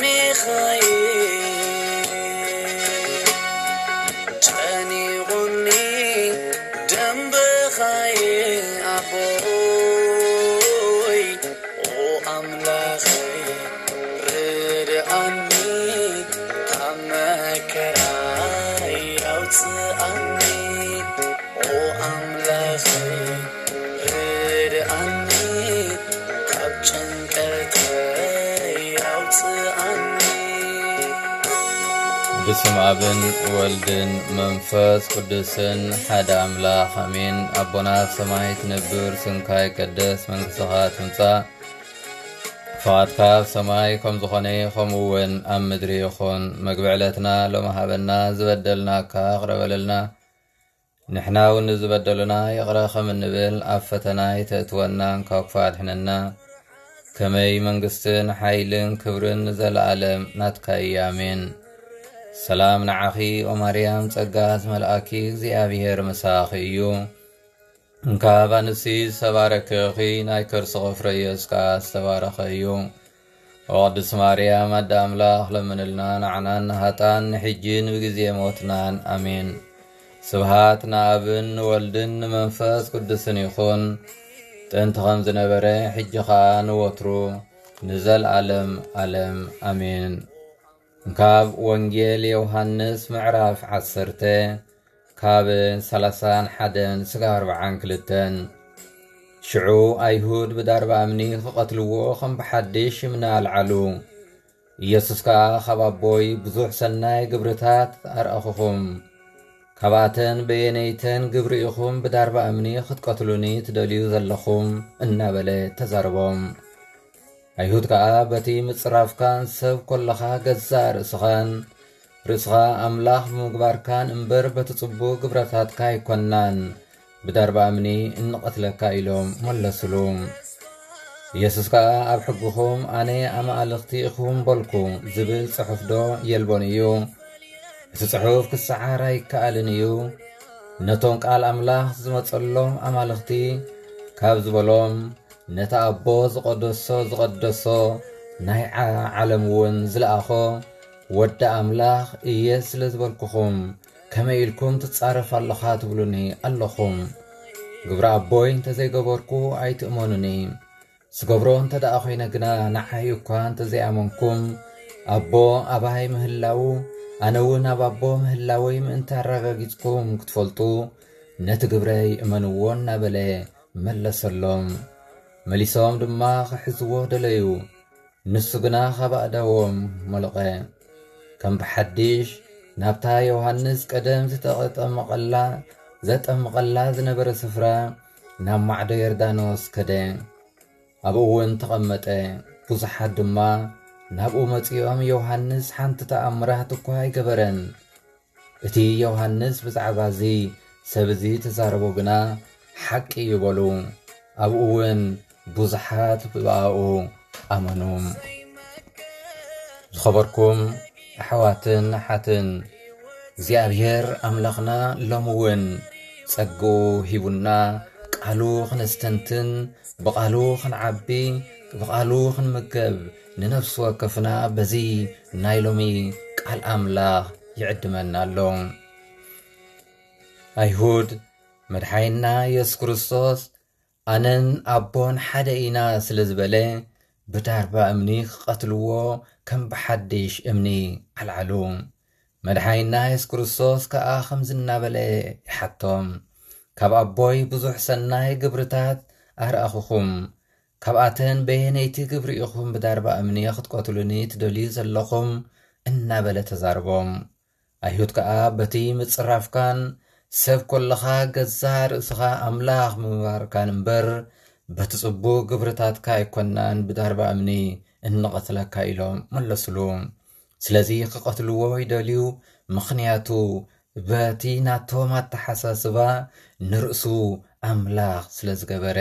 ሚኻኤል ጨኒቑኒ ደንበኻይ ኣቦይ፣ ኦ ኣምላኸይ ርድኣኒ፣ ካብ መከራይ ኣውፅኣኒ። ኦ ኣምላኸይ ርድኣኒ፣ ካብ ጭንቀተይ ኣውፅኣኒ። በስመ ኣብን ወልድን መንፈስ ቅዱስን ሓደ ኣምላኽ ኣሜን። ኣቦና ኣብ ሰማይ ትነብር፣ ስምካ ይቀደስ፣ መንግስትኻ ትምጻእ፣ ፍቓድካ ኣብ ሰማይ ከም ዝኾነ ከምኡ እውን ኣብ ምድሪ ይኹን። መግቢ ዕለትና ሎሚ ሃበና፣ ዝበደልናካ ይቕረ በለልና፣ ንሕና እውን ንዝበደሉና ይቕረ ከም እንብል፣ ኣብ ፈተና ኣይተእትወና፣ ካብ ክፉእ ኣድሕነና። ከመይ መንግስትን ሓይልን ክብርን ንዘለኣለም ናትካ እዩ። ኣሜን። ሰላም ንዓኺ ኦ ማርያም፣ ጸጋ ዝመልኣኪ፣ እግዚኣብሔር ምሳኺ እዩ። እንካብ ኣንስቲ ዝተባረከ ኢኺ፣ ናይ ከርስኺ ፍረ ኢየሱስ ከኣ ዝተባረኸ እዩ። ኦ ቅድስት ማርያም ኣደ ኣምላኽ፣ ለምንልና ንዓናን ንሃጣን፣ ንሕጂን ብግዜ ሞትናን። ኣሜን። ስብሃት ንኣብን ንወልድን ንመንፈስ ቅዱስን ይኹን፣ ጥንቲ ከም ዝነበረ፣ ሕጂ ኸኣ ንወትሩ ንዘልኣለም ኣለም። ኣሜን። ካብ ወንጌል ዮሃንስ ምዕራፍ ዓሰርተ፣ ካብ ሰላሳን ሓደን ስጋብ ኣርብዓን ክልተን። ሽዑ ኣይሁድ ብዳርባ እምኒ ክቐትልዎ ከም ብሓድሽ እምኒ ኣልዓሉ። ኢየሱስ ከኣ፣ ካብ ኣቦይ ብዙሕ ሰናይ ግብርታት ኣርኣኹኹም፣ ካብኣተን በየነይተን ግብሪ ኢኹም ብዳርባ እምኒ ክትቀትሉኒ ትደልዩ ዘለኹም? እናበለ ተዛረቦም። ኣይሁድ ከኣ፣ በቲ ምጽራፍካን ሰብ ኮለኻ ገዛእ ርእስኻን፣ ርእስኻ ኣምላኽ ብምግባርካን እምበር በቲ ጽቡቕ ግብረታትካ ኣይኮናን፣ ብዳርባ እምኒ እንቐትለካ ኢሎም መለስሉ። ኢየሱስ ከኣ፣ ኣብ ሕግኹም ኣነ ኣማልኽቲ ኢኹም በልኩ ዝብል ጽሑፍዶ የልቦን እዩ? እቲ ጽሑፍ ክሰዓር ኣይከኣልን እዩ። ነቶም ቃል ኣምላኽ ዝመጸሎም ኣማልኽቲ ካብ ዝበሎም፣ ነቲ ኣቦ ዝቐደሶ ዝቐደሶ ናይ ዓ-፣ ዓለም እውን ዝለኣኾ ወዲ ኣምላኽ እየ ስለ ዝበልኩኹም፣ ከመይ ኢልኩም ትጻረፍ ኣለኻ ትብሉኒ ኣለኹም? ግብሪ ኣቦይ እንተዘይገበርኩ ኣይትእመኑኒ። ዝገብሮ እንተ ደኣ ኾይነ ግና፣ ንዓይ እኳ እንተ ዘይኣመንኩም፣ ኣቦ ኣባይ ምህላዉ፣ ኣነ እውን ኣብ ኣቦ ምህላወይ ምእንቲ ኣረጋጊጽኩም ክትፈልጡ፣ ነቲ ግብረይ እመንዎ እናበለ መለሰሎም። መሊሶም ድማ ክሕዝዎ ደለዩ። ንሱ ግና ካብ ኣእዳዎም ሞለቐ። ከም ብሓድሽ ናብታ ዮሃንስ ቀደም ዝተጠመቐላ፣ ዘጠምቐላ ዝነበረ ስፍራ፣ ናብ ማዕዶ ዮርዳኖስ ከደ። ኣብኡ እውን ተቐመጠ። ብዙሓት ድማ ናብኡ መጺኦም፣ ዮሃንስ ሓንቲ ተኣምራት እኳ ኣይገበረን። እቲ ዮሃንስ ብዛዕባ እዚ ሰብ እዚ ተዛረቦ ግና ሓቂ እዩ በሉ። ኣብኡ እውን ብዙሓት ብኣኡ ኣመኑ። ዝኸበርኩም ኣሕዋትን ኣሓትን፣ እግዚኣብሔር ኣምላኽና ሎሚ እውን ጸግኡ ሂቡና፣ ቃሉ ክነስተንትን፣ ብቓሉ ክንዓቢ፣ ብቓሉ ክንምገብ፣ ንነፍሲ ወከፍና በዚ ናይ ሎሚ ቃል ኣምላኽ ይዕድመና ኣሎ። ኣይሁድ፣ መድሓይና የሱስ ክርስቶስ ኣነን ኣቦን ሓደ ኢና ስለ ዝበለ፣ ብዳርባ እምኒ ክቐትልዎ ከም ብሓድሽ እምኒ ኣልዓሉ። መድሓይና የሱስ ክርስቶስ ከኣ ከምዚ እናበለ ይሓቶም፣ ካብ ኣቦይ ብዙሕ ሰናይ ግብርታት ኣርኣኹኹም፣ ካብኣተን በየነይቲ ግብሪ ኢኹም ብዳርባ እምኒ ክትቀትሉኒ ትደልዩ ዘለኹም? እናበለ ተዛርቦም። ኣይሁድ ከኣ በቲ ምጽራፍካን ሰብ ኮለኻ ገዛእ ርእስኻ ኣምላኽ ምንባርካን እምበር፣ በቲ ጽቡቕ ግብርታትካ ኣይኮናን ብዳርባ እምኒ እንቐትለካ ኢሎም መለስሉ። ስለዚ ክቐትልዎ ይደልዩ፣ ምኽንያቱ በቲ ናቶም ኣተሓሳስባ ንርእሱ ኣምላኽ ስለ ዝገበረ፣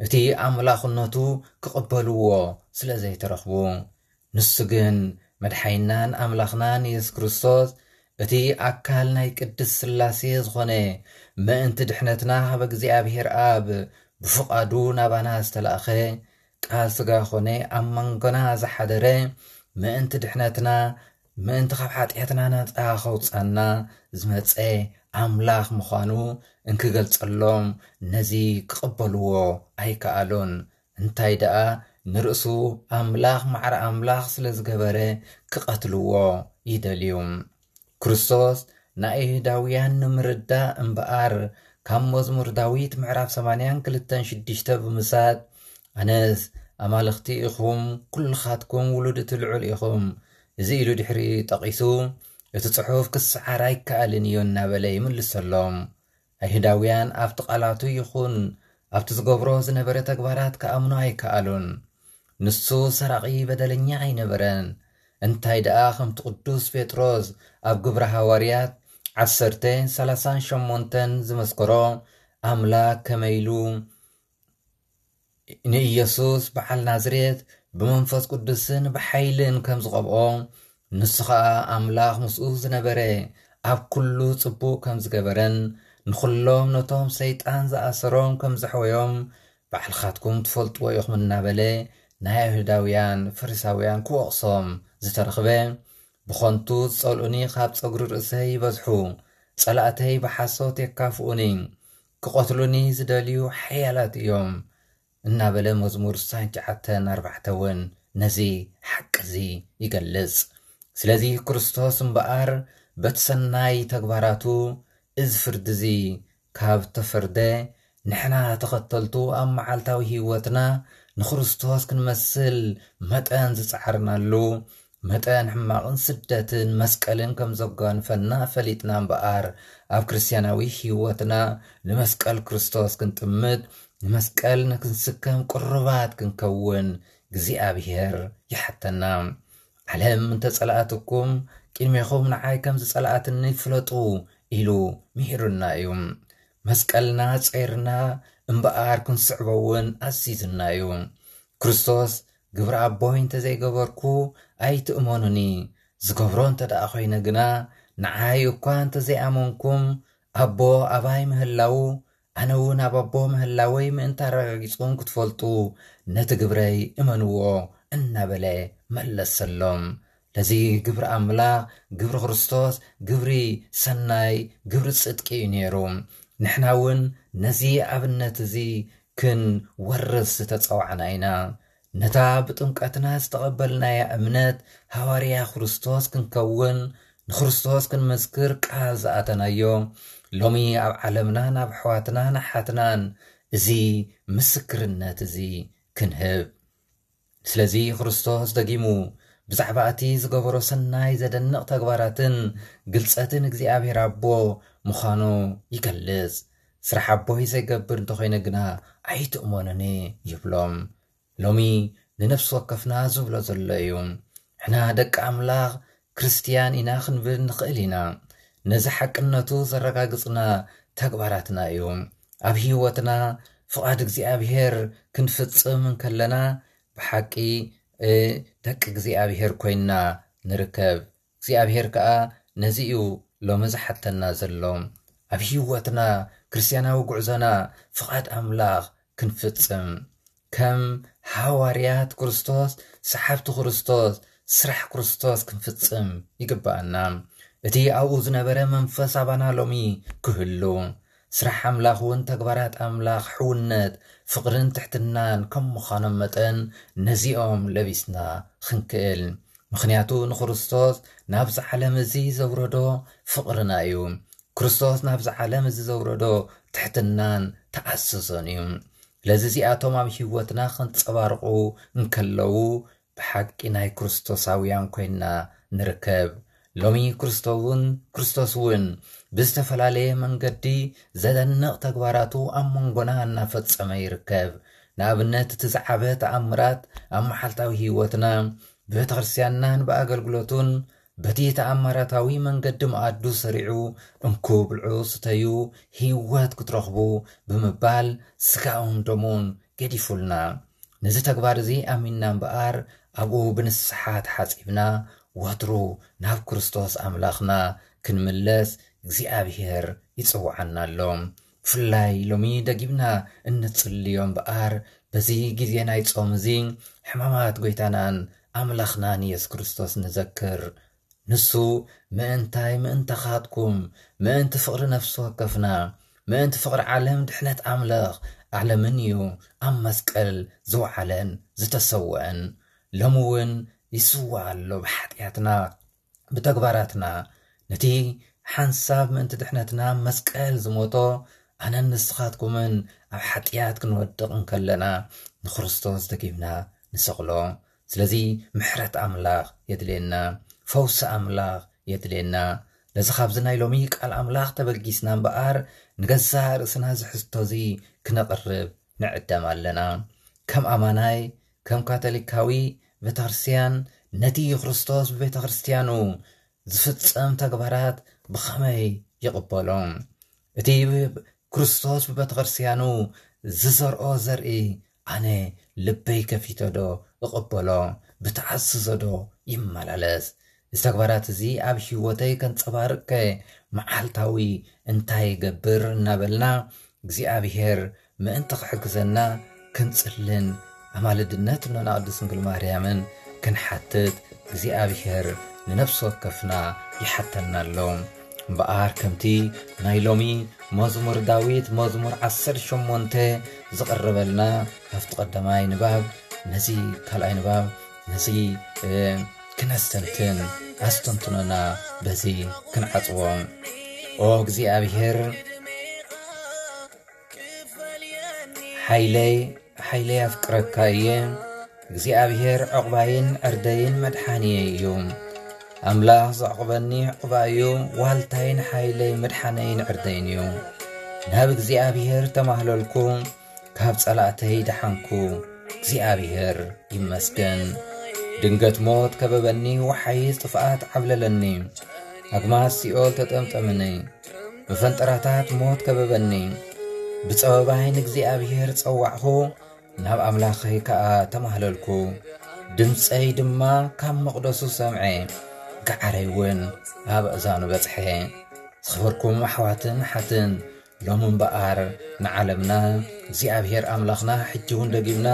እቲ ኣምላኽነቱ ክቕበልዎ ስለ ዘይተረኽቡ። ንሱ ግን መድሓይናን ኣምላኽናን የሱስ ክርስቶስ፣ እቲ ኣካል ናይ ቅድስት ስላሴ ዝኾነ፣ ምእንቲ ድሕነትና ካብ እግዚኣብሔር ኣብ ብፍቓዱ ናባና ዝተላእኸ፣ ቃል ስጋ ኾነ፣ ኣብ መንጎና ዝሓደረ፣ ምእንቲ ድሕነትና፣ ምእንቲ ካብ ሓጢኣትና ነጻ ከውጻና ዝመጸ ኣምላኽ ምዃኑ እንክገልጸሎም ነዚ ክቕበልዎ ኣይከኣሉን። እንታይ ደኣ ንርእሱ ኣምላኽ ማዕረ ኣምላኽ ስለ ዝገበረ ክቐትልዎ ይደልዩ። ክርስቶስ ንኣይሁዳውያን ንምርዳእ እምበኣር ካብ መዝሙር ዳዊት ምዕራፍ ሰማንያን ክልተን ሽዱሽተ ብምሳጥ ኣነስ ኣማልኽቲ ኢኹም ኩልኻትኩም ውሉድ እቲ ልዑል ኢኹም። እዚ ኢሉ ድሕሪ ጠቒሱ እቲ ጽሑፍ ክሰዓር ኣይከኣልን እዩ እናበለ ይምልሰሎም። ኣይሁዳውያን ኣብቲ ቃላቱ ይኹን ኣብቲ ዝገብሮ ዝነበረ ተግባራት ክኣምኑ ኣይከኣሉን። ንሱ ሰራቒ በደለኛ ኣይነበረን። እንታይ ደኣ ከምቲ ቅዱስ ጴጥሮስ ኣብ ግብረ ሃዋርያት ዓሰርተ ሰላሳን ሸሞንተን ዝመስከሮ ኣምላኽ ከመይ ኢሉ ንኢየሱስ በዓል ናዝሬት ብመንፈስ ቅዱስን ብሓይልን ከም ዝቐብኦ ንሱ ኸኣ ኣምላኽ ምስኡ ዝነበረ ኣብ ኩሉ ጽቡቕ ከም ዝገበረን ንኹሎም ነቶም ሰይጣን ዝኣሰሮም ከም ዘሕወዮም ባዕልኻትኩም ትፈልጥዎ ኢኹም እናበለ ናይ ኣይሁዳውያን ፈሪሳውያን ክወቕሶም ዝተረኽበ ብኸንቱ ዝጸልኡኒ ካብ ጸጉሪ ርእሰይ ይበዝሑ፣ ጸላእተይ ብሓሶት የካፍኡኒ፣ ክቐትሉኒ ዝደልዩ ሓያላት እዮም እናበለ መዝሙር ስሳን ትሽዓተን ኣርባዕተ እውን ነዚ ሓቂ እዚ ይገልጽ። ስለዚ ክርስቶስ እምበኣር በቲ ሰናይ ተግባራቱ እዚ ፍርዲ እዚ ካብ ተፈርደ ንሕና ተኸተልቱ ኣብ መዓልታዊ ህይወትና ንክርስቶስ ክንመስል መጠን ዝጸዓርናሉ መጠን ሕማቕን ስደትን መስቀልን ከም ዘጓንፈና ፈሊጥና እምበኣር ኣብ ክርስትያናዊ ህይወትና ንመስቀል ክርስቶስ ክንጥምት ንመስቀል ንክንስከም ቅሩባት ክንከውን እግዚኣብሔር ይሓተና። ዓለም እንተጸላኣትኩም ቅድሜኹም ንዓይ ከም ዝጸላኣትኒ ፍለጡ ኢሉ ምሂሩና እዩ። መስቀልና ጸይርና እምበኣር ክንስዕቦ እውን ኣዚዝና እዩ። ክርስቶስ ግብሪ ኣቦይ እንተዘይገበርኩ ኣይትእመኑኒ፣ ዝገብሮ እንተ ደኣ ኮይነ ግና ንዓይ እኳ እንተዘይኣመንኩም ኣቦ ኣባይ ምህላዉ ኣነ እውን ኣብ ኣቦ ምህላወይ ምእንቲ ኣረጋጊጽኩም ክትፈልጡ ነቲ ግብረይ እመንዎ እናበለ መለሰሎም። ለዚ ግብሪ ኣምላኽ፣ ግብሪ ክርስቶስ፣ ግብሪ ሰናይ፣ ግብሪ ጽድቂ እዩ ነይሩ። ንሕና እውን ነዚ ኣብነት እዚ ክንወርስ ዝተጸዋዕና ኢና። ነታ ብጥምቀትና ዝተቐበልናያ እምነት ሃዋርያ ክርስቶስ ክንከውን ንክርስቶስ ክንምስክር ቃል ዝኣተናዮ ሎሚ ኣብ ዓለምናን ኣብ ኣሕዋትናን ኣሓትናን እዚ ምስክርነት እዚ ክንህብ። ስለዚ ክርስቶስ ደጊሙ ብዛዕባ እቲ ዝገበሮ ሰናይ ዘደንቕ ተግባራትን ግልጸትን እግዚኣብሔር ኣቦ ምዃኑ ይገልጽ። ስራሕ ኣቦይ ዘይገብር እንተኾይነ ግና ኣይትእመኑኒ ይብሎም። ሎሚ ንነፍሲ ወከፍና ዝብሎ ዘሎ እዩ። ንሕና ደቂ ኣምላኽ ክርስትያን ኢና ክንብል ንኽእል ኢና። ነዚ ሓቅነቱ ዘረጋግጽና ተግባራትና እዩ። ኣብ ህይወትና ፍቓድ እግዚኣብሔር ክንፍጽም እንከለና ብሓቂ ደቂ እግዚኣብሔር ኮይንና ንርከብ። እግዚኣብሔር ከኣ ነዚ እዩ ሎሚ ዝሓተና ዘሎ። ኣብ ህይወትና ክርስትያናዊ ጉዕዞና ፍቓድ ኣምላኽ ክንፍጽም ከም ሃዋርያት ክርስቶስ ሰሓብቲ ክርስቶስ ስራሕ ክርስቶስ ክንፍጽም ይግብኣና። እቲ ኣብኡ ዝነበረ መንፈስ ኣባና ሎሚ ክህሉ ስራሕ ኣምላኽ እውን ተግባራት ኣምላኽ ሕውነት ፍቕርን ትሕትናን ከም ምዃኖም መጠን ነዚኦም ለቢስና ክንክእል። ምኽንያቱ ንክርስቶስ ናብዚ ዓለም እዚ ዘውረዶ ፍቕርና እዩ። ክርስቶስ ናብዚ ዓለም እዚ ዘውረዶ ትሕትናን ተኣስሶን እዩ። ስለዚ እዚኣቶም ኣብ ህይወትና ከንጸባርቑ እንከለዉ ብሓቂ ናይ ክርስቶሳውያን ኮይንና ንርከብ። ሎሚ ክርስቶውን ክርስቶስ እውን ብዝተፈላለየ መንገዲ ዘደንቕ ተግባራቱ ኣብ መንጎና እናፈጸመ ይርከብ። ንኣብነት እቲ ዝዓበ ተኣምራት ኣብ መዓልታዊ ህይወትና ብቤተ ክርስትያንናን ብኣገልግሎቱን በቲ ተኣምራታዊ መንገዲ መኣዱ ሰሪዑ እንኩ ብልዑ ስተዩ ህይወት ክትረኽቡ ብምባል ስጋኡን ደሙን ገዲፉልና። ነዚ ተግባር እዚ ኣሚንና እምበኣር ኣብኡ ብንስሓ ተሓጺብና ወትሩ ናብ ክርስቶስ ኣምላኽና ክንምለስ እግዚኣብሔር ይጽውዓና ኣሎ። ብፍላይ ሎሚ ደጊምና እንጽልዮ እምበኣር በዚ ግዜ ናይ ጾም እዚ ሕማማት ጐይታናን ኣምላኽና ንየሱስ ክርስቶስ ንዘክር። ንሱ ምእንታይ ምእንታኻትኩም፣ ምእንቲ ፍቕሪ ነፍሲ ወከፍና፣ ምእንቲ ፍቕሪ ዓለም ድሕነት ኣምላኽ ዓለምን እዩ ኣብ መስቀል ዝወዓለን ዝተሰወአን። ሎሚ እውን ይስዋእ ኣሎ ብሓጢኣትና፣ ብተግባራትና። ነቲ ሓንሳብ ምእንቲ ድሕነትና ኣብ መስቀል ዝሞቶ ኣነን ንስኻትኩምን ኣብ ሓጢኣት ክንወድቕ እንከለና ንክርስቶስ ደጊምና ንሰቕሎ። ስለዚ ምሕረት ኣምላኽ የድልየና፣ ፈውሲ ኣምላኽ የድልየና። ነዚ ካብዚ ናይ ሎሚ ቃል ኣምላኽ ተበጊስና እምበኣር ንገዛእ ርእስና እዚ ሕዝቶ እዚ ክነቕርብ ንዕደም ኣለና። ከም ኣማናይ፣ ከም ካቶሊካዊ ቤተክርስትያን ነቲ ክርስቶስ ብቤተክርስትያኑ ዝፍጸም ተግባራት ብኸመይ ይቕበሎ? እቲ ክርስቶስ ብቤተክርስትያኑ ዝዘርኦ ዘርኢ ኣነ ልበይ ከፊተ ዶ እቕበሎ? ብተኣዝዞ ዶ ይመላለስ? እዚ ተግባራት እዚ ኣብ ህይወተይ ከንጸባርቕ ከ መዓልታዊ እንታይ ይገብር እናበልና እግዚኣብሔር ምእንቲ ክሕግዘና ክንጽልን ኣማልድነት እኖና ቅድስት ድንግል ማርያምን ክንሓትት እግዚኣብሔር ንነፍሲ ወከፍና ይሓተና ኣሎ። እምበኣር ከምቲ ናይ ሎሚ መዝሙር ዳዊት መዝሙር ዓሰርተ ሸሞንተ ዝቕርበልና ካብቲ ቀዳማይ ንባብ ነዚ ካልኣይ ንባብ ነዚ፣ እ፣ ክነስተንትን ኣስተንትኖና በዚ ክንዓጽዎ። ኦ እግዚኣብሔር ሓይለይ፣ ሓይለይ ኣፍቅረካ እየ። እግዚኣብሔር ዕቑባይን ዕርደይን መድሓንየይ እዩ። ኣምላኽ ዘዕቑበኒ ዕቑባይ እዩ፣ ዋልታይን ሓይለይ መድሓነይን ዕርደይን እዩ። ናብ እግዚኣብሔር ተማህለልኩ፣ ካብ ጸላእተይ ደሓንኩ። እግዚኣብሔር ይመስገን። ድንገት ሞት ከበበኒ፣ ወሓይዝ ጥፍኣት ዓብለለኒ። ኣግማስ ሲኦል ተጠምጠምኒ፣ መፈንጠራታት ሞት ከበበኒ። ብጸበባይ ንእግዚኣብሔር ጸዋዕኹ፣ ናብ ኣምላኸይ ከኣ ተማህለልኩ። ድምጸይ ድማ ካብ መቕደሱ ሰምዐ፣ ገዓረይ እውን ኣብ ኣእዛኑ በጽሐ። ዝኸበርኩም ኣሕዋትን ኣሓትን፣ ሎሚ እምበኣር ንዓለምና እግዚኣብሔር ኣምላኽና ሕጂ እውን ደጊምና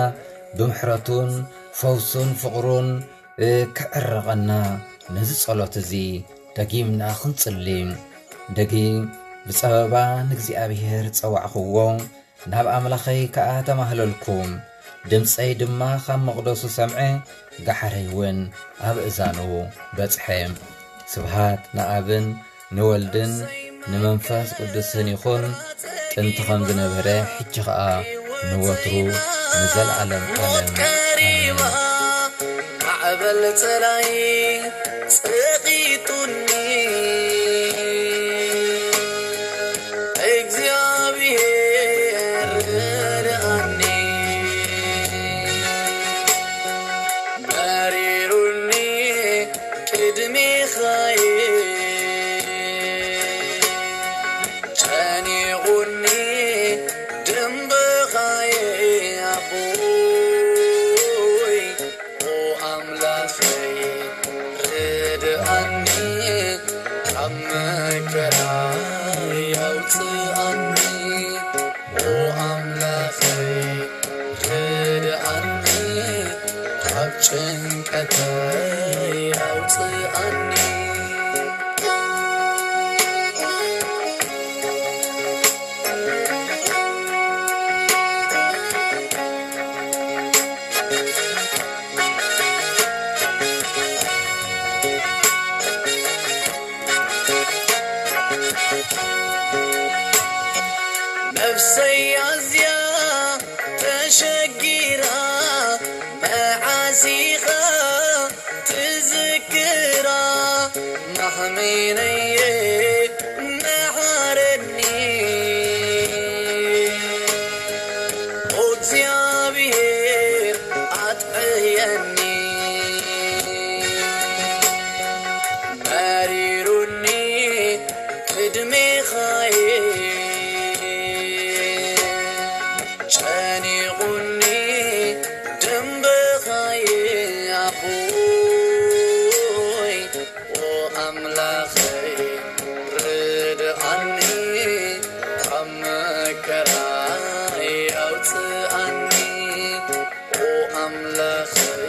ብምሕረቱን ፈውሱን ፍቕሩን፣ እ፣ ክዕረቐና ነዚ ጸሎት እዚ ደጊምና ክንጽሊ። ደጊም ብጸበባ ንእግዚኣብሔር ጸዋዕኽዎ፣ ናብ ኣምላኸይ ከኣ ተማህለልኩ። ድምጸይ ድማ ካብ መቕደሱ ሰምዐ፣ ገሓረይ እውን ኣብ እዛኑ በጽሐ። ስብሃት ንኣብን ንወልድን ንመንፈስ ቅዱስን ይኹን፣ ጥንቲ ከም ዝነበረ፣ ሕጂ ኸኣ ንወትሩ ንዘለዓለም ዓለም። ኣሜን። ማዕበል ጸላይ ጸቂጡኒ፣ እግዚኣብሔር ረድኣኒ። መሪሩኒ ቅድሜኻየ፣ ጨኒቑኒ ደንበኻየ ኣቦይ። ኦ ኣምላኸይ ርድኣኒ፣ ካብ መከራ ኣውፅኣኒ። ኦ ኣምላኸይ ርድኣኒ፣ ካብ ጭንቀተይ ኣውፅኣኒ። ነፍሰይ ኣዝያ ተሸጊራ፣ መዓስ ኢኻ ትዝክራ? ማሕመይነየ መሓረኒ፣ እግዚኣብሔር ኣጥዕየኒ። መሪሩኒ ቅድሜኻየ፣ ጨኒቑኒ ደንበኻየ ኣቦይ። ኦ ኣምላኸይ ርድኣኒ፣ ካብ መከራይ ኣውፅኣኒ። ኦ ኣምላኸይ